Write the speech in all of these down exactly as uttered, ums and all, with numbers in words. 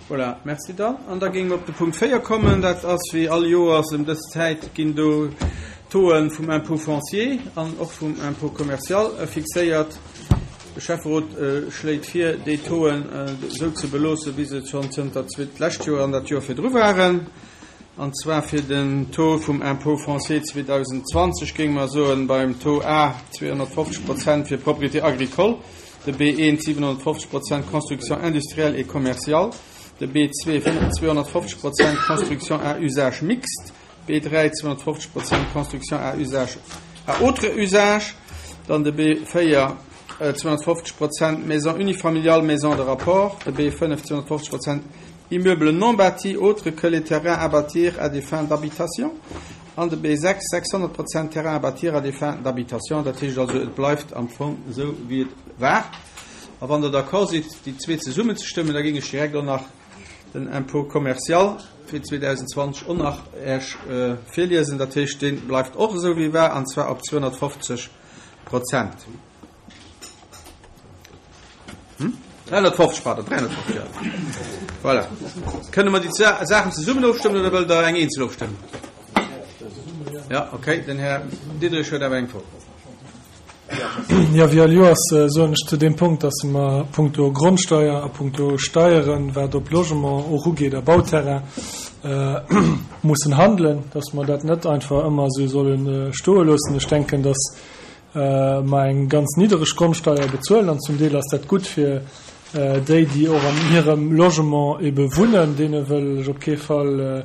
Voilà, merci dann. An da géinge mer op de Punkt véier kommen. Dat ass wéi all Joers ëm dës Zäit ginn do d'Tauxen vum Impôt foncier an och vum Impôt commercial fixéiert. De Schäfferot schléit vir, déi Tauxen esou ze beloossen, wéi se schonn zënter d'lescht Joer an dat Joer virdru waren. An zwar fir den Taux vum Impôt foncier zweedausendzwanzeg géinge mer soen, beim Taux A zweehonnertfofzeg Prozent fir Propriété agricole, de B eent siwenhonnertfofzeg Prozent Construction industrielle et commerciale, de B zwee zweehonnertfofzeg Prozent Construction à usage mixte, B dräi zweehonnertfofzeg Prozent Construction à usage à autre usage, dann de B véier zweehonnertfofzeg Prozent Maison unifamiliale, maison de rapport, de B fënnef zweehonnertfofzeg Prozent Immeuble non bâti autre que les terrains à bâtir à des fins d'habitation, an de B sechs sechshonnert Prozent Terrain à bâtir à des fins d'habitation. Dat heescht also, et bleift am Fong esou, wéi et war. A wann Der d'accord sidd, déi zwee zesummen ze stëmmen, da géing ech direkt och nach den Impôt commercial fir zweedausendzwanzeg och nach Iech virliesen. Dat heescht, dee bleift och esou, wéi war, an zwar op zweehonnertfofzeg Prozent. Hm? dräihonnertfofzeg, pardon, dräihonnertfofzeg, ja. Voilà. Kënne mer déi Saachen zesummen ofstëmmen oder wëllt Der eng eenzel ofstëmmen? Ja, okay, den Här Diderich huet awer eng Fro. Ja, wéi all Joers soen ech zu deem Punkt, dass mer punkto Grondsteuer a punkto Steieren, wat op Logement och ugeet a Bauterrain, mussen handelen, dass mer dat net einfach ëmmer esou solle stoe loossen. Ech denken, dass mer eng ganz niddereg Grondsteuer bezuelen an zum Deel ass dat gutt fir déi, déi och an hirem Logement ebe wunnen. Deene wëll ech op kee Fall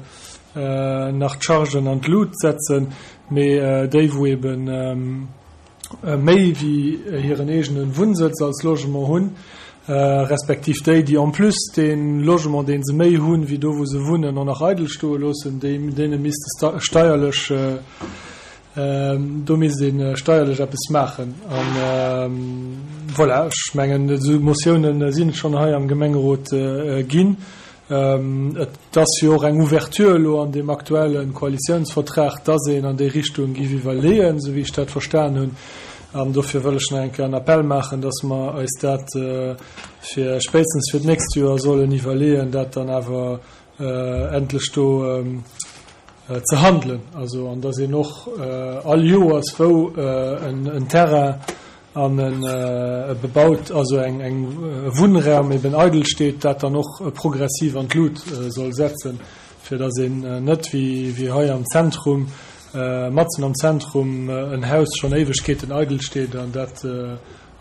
nach d'Chargen an d'Lut setzen, mee déi, wou ebe méi wéi hiren eegene Wunnsëtz als Logement hunn, respektiv déi, déi en plus dee Logement, dee se méi hunn, wéi do, wou se wunnen, och nach eidel stoe loossen, deene misste steierlech, do misst ee steierlech eppes maachen. An voilà, ech mengen, esou Motiounen sinn et schonn hei am Gemengerot ginn. Et ass jo och eng Ouverture elo an deem aktuelle Koalitiounsvertrag, dass een an déi Richtung géif iwwerleeën, esou wéi ech dat verstan hunn. An dofir wëll ech nach eng Kéier en Appell maachen, dass mer eis dat fir spéitstens fir d'nächst Joer sollen iwwerleeën, dat dann awer endlech do ze handelen. Also, an dass een och all Joers, wou en Terrain an e bebaut, also eng e Wunnraum eben eidel steet, dat dann och progressiv an d'Lut soll setzen, fir dass een net wéi wéi hei am Zentrum, matzen am Zentrum en Haus schonn Éiwegkeeten eidel steet an dat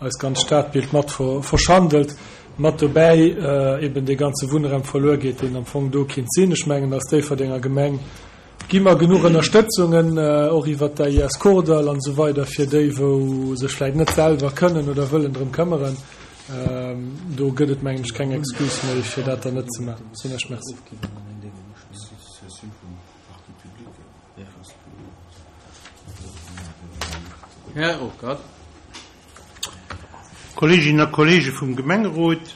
eist ganz Stadbild mat verschandelt, mat dobäi eben dee ganze Wunnraum verluer geet, deen am Fong do kinnt sinn. Ech mengen, als Déifferdenger Gemeng gi mer genuch Ënnerstëtzungen, och iwwert d'A I S Kordall an esou weider, fir déi, wou sech vläicht net selwer kënnen oder wëllen drëm këmmeren. Do gëtt et, mengen ech, keng Excuse méi, fir dat dann net ze maachen. Soen ech Merci. Här Ruckert. Kolleeginnen a Kolleege vum Gemengerot,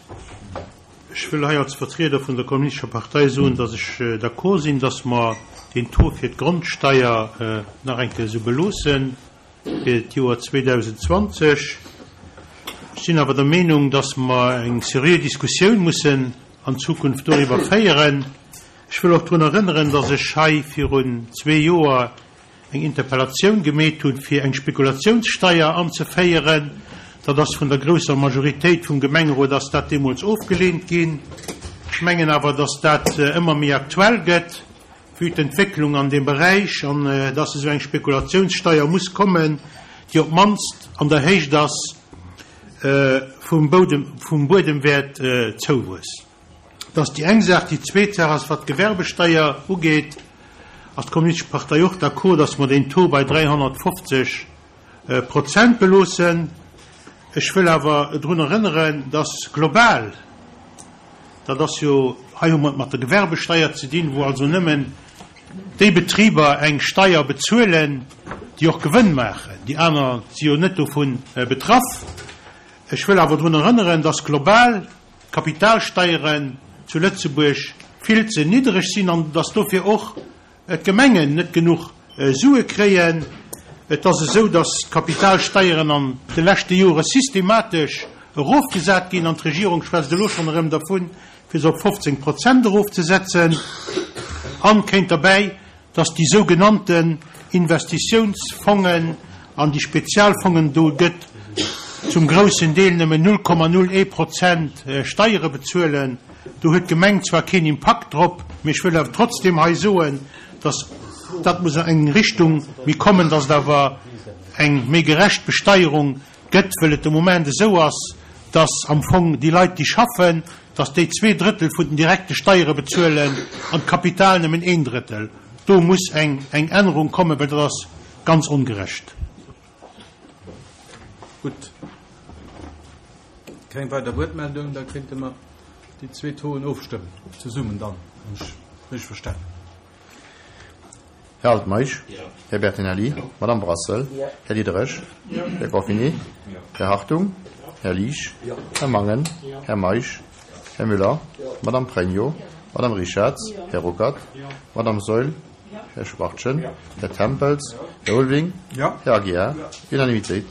ech wëll hei als Vertrieder vun der Kommunistescher Partei soen, dass ech d'accord sinn, dass mer den Taux fir d'Grondsteier nach eng Kéier esou beloosse fir d'Joer zweedausendzwanzeg. Ech sinn awer der Meenung, dass mer eng seriö Diskussioun mussen an Zukunft doriwwer féieren. Ech wëll och drun erënneren, dass ech hei virun zwee Joer eng Interpellatioun gemeet hunn, fir eng Spekulatiounssteier anzeféieren. Dat ass vun der grousser Majoritéit vum Gemengerot ass dat deemools ofgeleent ginn. Ech mengen awer, dass dat ëmmer méi aktuell gëtt, vue d'Entwécklung an deem Beräich, an dass esou eng Spekulatiounssteier muss kommen, déi op d'mannst an der Héicht ass vum vum Buedemwäertzouwuess. Dat ass déi eng Saach. Déi zweet Saach ass, wat d'Gewerbesteier ugeet, ass d'Kommunistesch Partei och d'accord, dass mer deen Taux bei dräihonnertfofzeg Prozent beloossen. Ech wëll awer drun erënneren, dass global, dat ass jo, hei hu mer et mat der Gewerbesteier ze dinn, wou also nëmmen déi Betriber eng Steier bezuelen, déi och Gewënn maachen, déi aner si jo net dovu betraff. Ech wëll awer drun erënneren, dass global d'Kapitalsteieren zu Lëtzebuerg vill ze niddereg sinn an dass dofir och d'Gemengen net genuch Sue kréien. Et ass esou, dass d'Kapitalsteieren an de leschte Jore systematesch erofgesat ginn an d'Regierung schwätzt elo schonn erëm dervun, fir se op fofzéng Prozent erofzesetzen. An kéint derbäi, dass déi sougenannten Investitiounsfongen an déi Spezialfongen, do gëtt zum groussen Deel nëmmen null Komma null ee Prozent Steiere bezuelen. Do huet d'Gemeng zwar keen Impakt drop, mee ech wëll awer trotzdem hei soen, dass dat muss an eng Richtung méi kommen, dass et awer eng méi gerecht Besteierung gëtt, wëll et de Moment esou ass, dass am Fong déi Leit, déi schaffen, dass déi zwee Drëttel vun den direkte Steiere bezuelen an d'Kapital nëmmen een Drëttel. Do muss eng eng Ännerung kommen, well dat ass ganz ongerecht. Gutt. Keng weider Wuertmeldung, da kéinte mer déi zwee Tauxen ofstëmmen, zesummen dann, wann ech richteg verstanen. Här Altmeisch, Här Bertinelli, Madame Brassel, Här Diderich, Här Goffinet, Här Hartung, Här Liesch, Här Mangen, Här Meisch, Här Müller, Madame Pregno, Madame Richarz, Här Ruckert, Madame Saeul, Här Schwachtgen, Här Tempels, Här Ulving, Här Aguiar. Unanimitéit.